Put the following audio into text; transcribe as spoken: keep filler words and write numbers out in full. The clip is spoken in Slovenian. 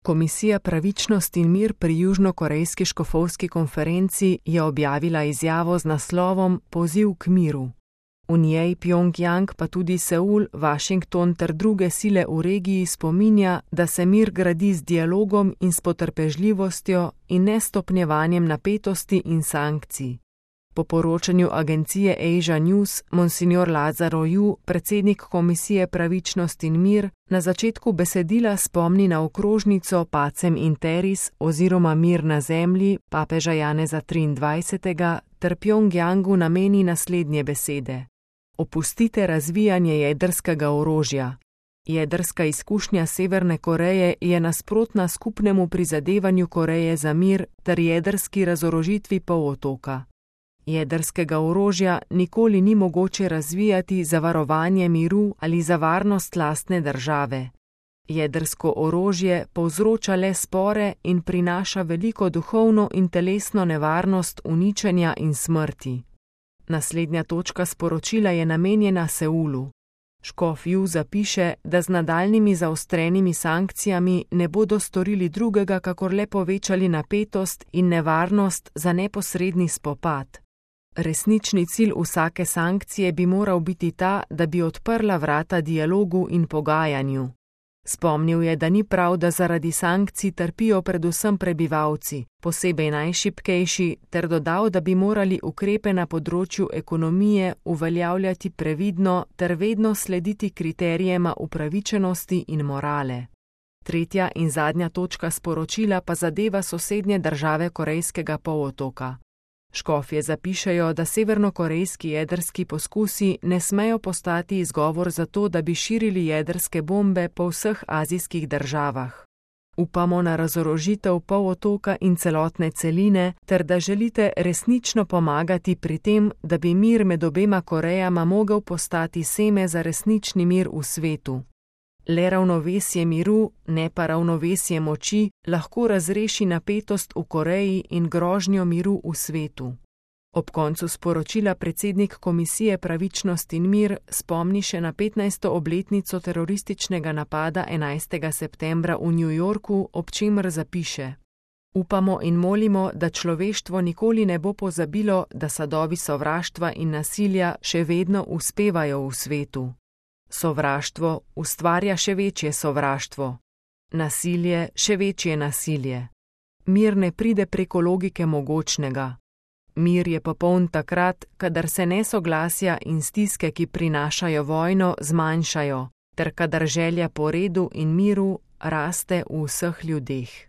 Komisija Pravičnost in mir pri Južnokorejski škofovski konferenci je objavila izjavo z naslovom Poziv k miru. V njej Pjongjang pa tudi Seul, Washington ter druge sile v regiji spominja, da se mir gradi z dialogom in s potrpežljivostjo in ne stopnjevanjem napetosti in sankcij. Po poročanju agencije Asia News, monsignor Lazaro Ju, predsednik Komisije Pravičnost in mir, na začetku besedila spomni na okrožnico Pacem in Terris oziroma Mir na zemlji papeža Janeza triindvajsetega ter Pjongjangu nameni naslednje besede. Opustite razvijanje jedrskega orožja. Jedrska izkušnja Severne Koreje je nasprotna skupnemu prizadevanju Koreje za mir ter jedrski razorožitvi polotoka. Jedrskega orožja nikoli ni mogoče razvijati za varovanje miru ali za varnost lastne države. Jedrsko orožje povzroča le spore in prinaša veliko duhovno in telesno nevarnost uničenja in smrti. Naslednja točka sporočila je namenjena Seulu. Škof Ju zapiše, da z nadaljnjimi zaostrenimi sankcijami ne bodo storili drugega, kakor le povečali napetost in nevarnost za neposredni spopad. Resnični cilj vsake sankcije bi moral biti ta, da bi odprla vrata dialogu in pogajanju. Spomnil je, da ni prav, da zaradi sankcij trpijo predvsem prebivalci, posebej najšibkejši, ter dodal, da bi morali ukrepe na področju ekonomije uveljavljati previdno ter vedno slediti kriterijema upravičenosti in morale. Tretja in zadnja točka sporočila pa zadeva sosednje države Korejskega polotoka. Škofje zapišejo, da severnokorejski jedrski poskusi ne smejo postati izgovor za to, da bi širili jedrske bombe po vseh azijskih državah. Upamo na razorožitev polotoka in celotne celine, ter da želite resnično pomagati pri tem, da bi mir med obema Korejama mogel postati seme za resnični mir v svetu. Le ravnovesje miru, ne pa ravnovesje moči, lahko razreši napetost v Koreji in grožnjo miru v svetu. Ob koncu sporočila predsednik Komisije Pravičnost in mir spomni še na petnajsto obletnico terorističnega napada enajstega septembra v New Yorku, ob čemer zapiše: Upamo in molimo, da človeštvo nikoli ne bo pozabilo, da sadovi sovraštva in nasilja še vedno uspevajo v svetu. Sovraštvo ustvarja še večje sovraštvo. Nasilje še večje nasilje. Mir ne pride preko logike mogočnega. Mir je popoln takrat, kadar se nesoglasja in stiske, ki prinašajo vojno, zmanjšajo, ter kadar želja po redu in miru raste v vseh ljudeh.